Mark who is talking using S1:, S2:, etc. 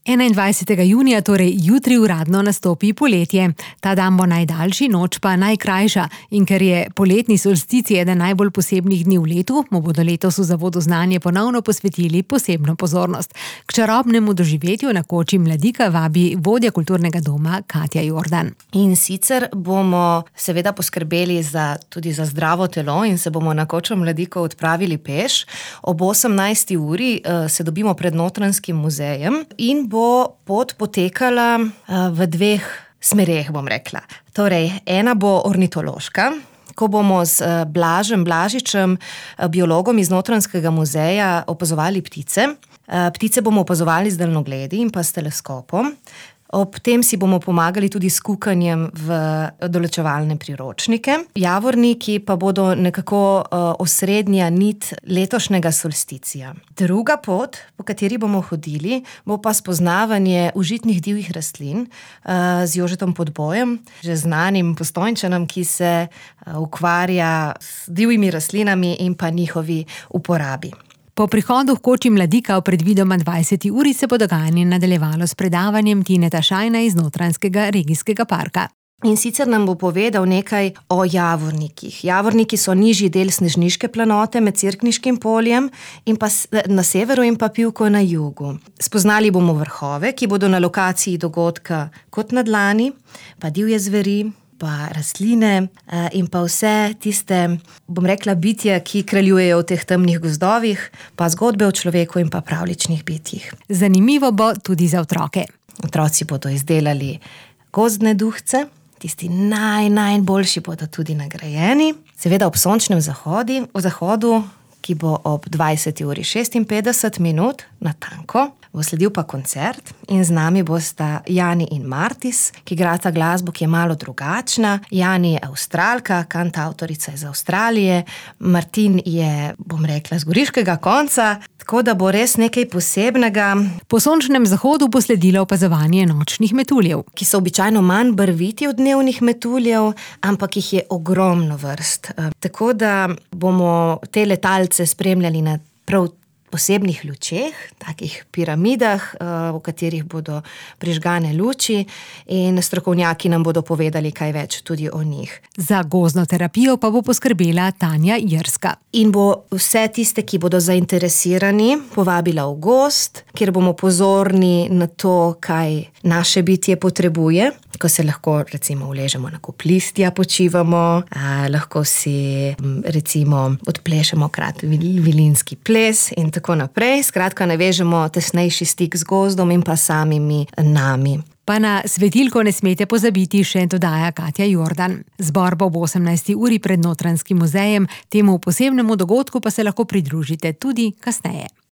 S1: 21. junija, torej jutri uradno nastopi poletje. Ta dan bo najdaljši, noč pa najkrajša. In ker je poletni solsticij eden najbolj posebnih dni v letu, mu bodo letos v Zavodu Znanje ponovno posvetili posebno pozornost. K čarobnemu doživetju na koči Mladika vabi vodja kulturnega doma Katja Jordan.
S2: In sicer bomo seveda poskrbeli tudi za zdravo telo in se bomo na kočo Mladiko odpravili peš. Ob 18. uri se dobimo pred Notranjskim muzejem in bo pot potekala v dveh smereh, bom rekla. Torej, ena bo ornitološka, ko bomo z Blažem Blažičem, biologom iz Notranjskega muzeja, opazovali ptice. Ptice bomo opazovali z daljnogledi in pa s teleskopom. Ob tem si bomo pomagali tudi s kukanjem v določevalne priročnike. Javorniki pa bodo nekako osrednja nit letošnjega solsticija. Druga pot, po kateri bomo hodili, bo pa spoznavanje užitnih divjih rastlin z Jožetom Podbojem, že znanim Postojnčanom, ki se ukvarja s divjimi rastlinami in pa njihovi uporabi.
S1: Po prihodu v koči Mladika v predvidoma 20. uri se bo dogajanje nadaljevalo s predavanjem Tineta Šajna iz Notranjskega regijskega parka.
S2: In sicer nam bo povedal nekaj o javornikih. Javorniki so nižji del Snežniške planote med Cerkniškim poljem in pa na severu in pa Pivko na jugu. Spoznali bomo vrhove, ki bodo na lokaciji dogodka kot na dlani, pa divje zveri, pa rastline in pa vse tiste, bom rekla, bitja, ki kraljujejo v teh temnih gozdovih, pa zgodbe o človeku in pa pravličnih bitjih.
S1: Zanimivo bo tudi za otroke.
S2: Otroci bodo izdelali gozdne duhce, tisti najboljši bodo tudi nagrajeni. Seveda ob sončnem zahodu, ki bo ob 20:56 natanko, bo sledil pa koncert in z nami bosta Jani in Martis, ki igrata glasbo, ki je malo drugačna. Jani je Avstralka, kantavtorica iz Avstralije, Martin je, bom rekla, z goriškega konca, tako da bo res nekaj posebnega.
S1: Po sončnem zahodu bo sledilo opazovanje nočnih metuljev,
S2: ki so običajno manj barviti od dnevnih metuljev, ampak jih je ogromno vrst. Tako da bomo te letalce spremljali na prav posebnih lučeh, takih piramidah, v katerih bodo prižgane luči in strokovnjaki nam bodo povedali kaj več tudi o njih.
S1: Za gozdno terapijo pa bo poskrbela Tanja Jerska.
S2: In bo vse tiste, ki bodo zainteresirani, povabila v gozd, kjer bomo pozorni na to, kaj naše bitje potrebuje, ko se lahko recimo uležemo na kup listja, počivamo, lahko si recimo odplešemo vilinski ples in tako naprej. Skratka, navežemo tesnejši stik z gozdom in pa samimi nami.
S1: Pa na svetilko ne smete pozabiti, še dodaja Katja Jordan. Zbor bo ob 18. uri pred Notranjskim muzejem, temu posebnemu dogodku pa se lahko pridružite tudi kasneje.